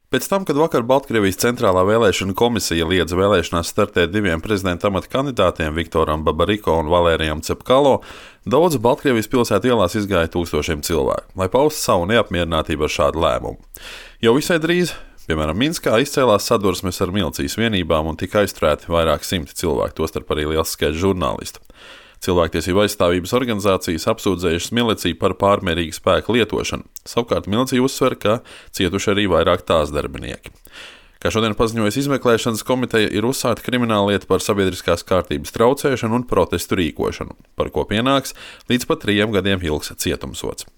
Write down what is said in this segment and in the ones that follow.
Pēc tam, kad vakar Baltkrievijas centrālā vēlēšana komisija liedza vēlēšanās startēt diviem prezidenta amata kandidātiem, Viktoram Babariko un Valērijam Cepkalo, daudzi Baltkrievijas pilsētu ielās izgāja tūkstošiem cilvēku, lai paustu savu neapmierinātību ar šādu lēmumu. Jau visai drīz, piemēram, Minskā, izcēlās sadursmes ar milicijas vienībām un tika aizturēti vairāk simti cilvēku, tostarp arī liels skaits žurnālistu. Cilvēktiesību aizstāvības organizācijas apsūdzējušas miliciju par pārmērīgu spēku lietošanu. Savukārt milicija uzsver, ka cietuši arī vairāk tās darbinieki. Kā šodien paziņojas izmeklēšanas komiteja, ir uzsākta krimināllieta par sabiedriskās kārtības traucēšanu un protestu rīkošanu, par ko pienāks līdz pat 3 gadiem ilgs cietumsods.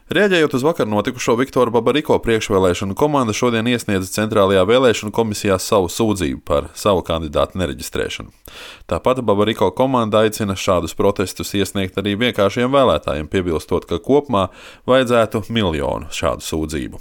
Reaģējot uz vakar notikušo, Viktora Babariko priekšvēlēšanu komanda šodien iesniedza centrālajā vēlēšanu komisijā savu sūdzību par savu kandidātu nereģistrēšanu. Tāpat Babariko komanda aicina šādus protestus iesniegt arī vienkāršiem vēlētājiem, piebilstot, ka kopumā vajadzētu 1 miljonu šādu sūdzību.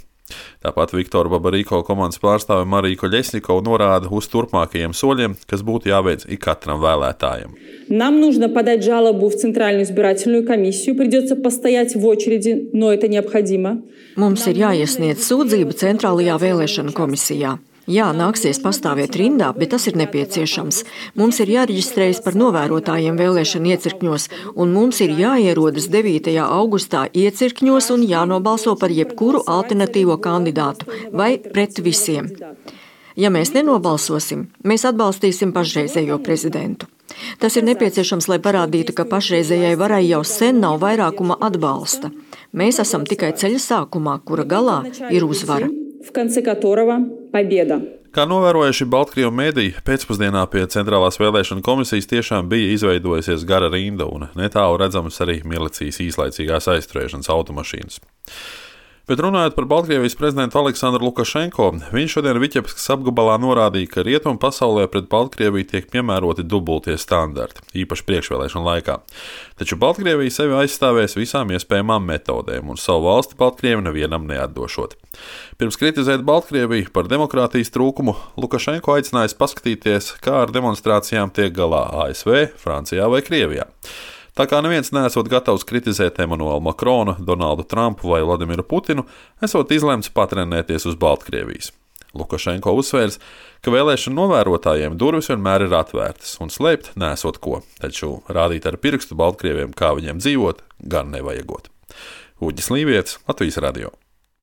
Tāpat Viktora Babariko komandas pārstāve Marija Koļesnikova norāda uz turpmākajiem soļiem, kas būtu jāveic ikatram vēlētājam. Нам нужно подать жалобу в Центральную избирательную комиссию. Придется постоять в очереди, но это необходимо. Mums ir jāiesniedz sūdzība Centrālajā vēlēšana komisijā. Jā, nāksies pastāvēt rindā, bet tas ir nepieciešams. Mums ir jāreģistrējas par novērotājiem vēlēšana iecirkņos, un mums ir jāierodas 9. augustā iecirkņos un jānobalso par jebkuru alternatīvo kandidātu vai pret visiem. Ja mēs nenobalsosim, mēs atbalstīsim pašreizējo prezidentu. Tas ir nepieciešams, lai parādītu, ka pašreizējai varai jau sen nav vairākuma atbalsta. Mēs esam tikai ceļa sākumā, kura galā ir uzvara. Kā novērojuši Baltkrievu mediji, pēcpusdienā pie centrālās vēlēšana komisijas tiešām bija izveidojusies gara rinda un netālu redzamas arī milicijas īslaicīgās aizturēšanas automašīnas. Bet runājot par Baltkrievijas prezidentu Aleksandru Lukašenko, viņš šodien Viķepskas apgabalā norādīja, ka rietumu pasaulē pret Baltkrieviju tiek piemēroti dubultie standarti, īpaši priekšvēlēšanu laikā. Taču Baltkrievija sevi aizstāvēs visām iespējamām metodēm un savu valsti Baltkrievi nevienam neatdošot. Pirms kritizēt Baltkrieviju par demokrātijas trūkumu, Lukašenko aicinājis paskatīties, kā ar demonstrācijām tiek galā ASV, Francijā vai Krievijā. Tā kā neviens neesot gatavs kritizēt Emanuelu Makronu, Donaldu Trumpu vai Vladimiru Putinu, esot izlemts patrenēties uz Baltkrievijas. Lukašenko uzsvērs, ka vēlēšanu novērotājiem durvis vienmēr ir atvērtas un slēpt nesot ko, taču rādīt ar pirkstu Baltkrieviem, kā viņiem dzīvot, gan nevajagot. Uģis Līvietis, Latvijas radio.